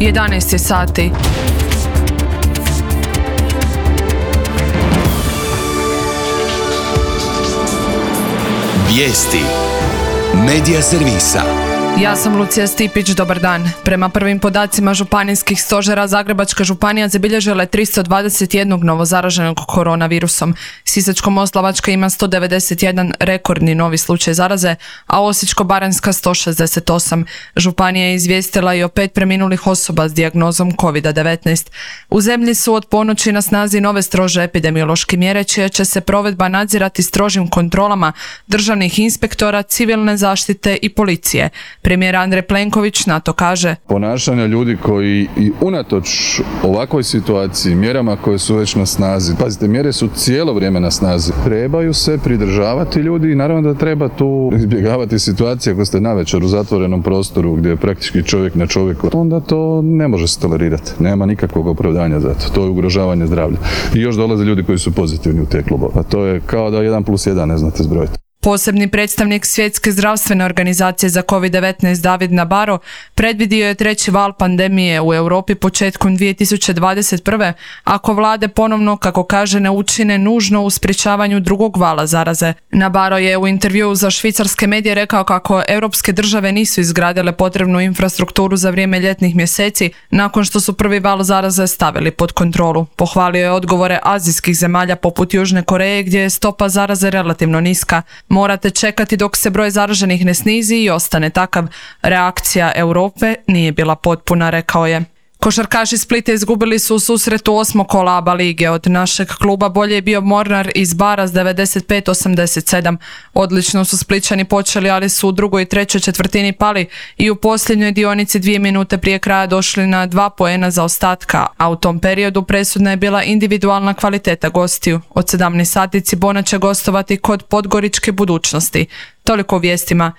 11 je sati. Vijesti Medija servisa. Ja sam Lucija Stipić, dobar dan. Prema prvim podacima županijskih stožera, Zagrebačka županija zabilježila je 321 novozaraženog koronavirusom. Sisačko-moslavačka ima 191 rekordni novi slučaj zaraze, a Osječko-baranjska 168. Županija je izvijestila i o 5 preminulih osoba s dijagnozom COVID-19. U zemlji su od ponoći na snazi nove strože epidemiološke mjere, čija će se provedba nadzirati strožim kontrolama državnih inspektora, civilne zaštite i policije. Premijer Andrej Plenković na to kaže: ponašanja ljudi koji i unatoč ovakvoj situaciji, mjerama koje su već na snazi, pazite, mjere su cijelo vrijeme na snazi, trebaju se pridržavati ljudi i naravno da treba tu izbjegavati situacije ako ste navečer u zatvorenom prostoru gdje je praktički čovjek na čovjeku, onda to ne može se tolerirati, nema nikakvog opravdanja za to, to je ugrožavanje zdravlja. I još dolaze ljudi koji su pozitivni u te klubove, a to je kao da 1+1 ne znate zbrojiti. Posebni predstavnik Svjetske zdravstvene organizacije za COVID-19 David Nabarro predvidio je treći val pandemije u Europi početkom 2021. ako vlade ponovno, kako kaže, ne učine nužno u sprječavanju drugog vala zaraze. Nabarro je u intervjuu za švicarske medije rekao kako europske države nisu izgradile potrebnu infrastrukturu za vrijeme ljetnih mjeseci nakon što su prvi val zaraze stavili pod kontrolu. Pohvalio je odgovore azijskih zemalja poput Južne Koreje gdje je stopa zaraze relativno niska. Morate čekati dok se broj zaraženih ne snizi i ostane takav. Reakcija Europe nije bila potpuna, rekao je. Košarkaši Splita izgubili su u susretu 8. kola ABA lige. Od našeg kluba bolje je bio Mornar iz Bara s 95-87. Odlično su Splićani počeli, ali su u drugoj i trećoj četvrtini pali i u posljednjoj dionici 2 minute prije kraja došli na 2 poena zaostatka, a u tom periodu presudna je bila individualna kvaliteta gostiju. Od 17 sati Cibona će gostovati kod Podgoričke Budućnosti. Toliko u vijestima.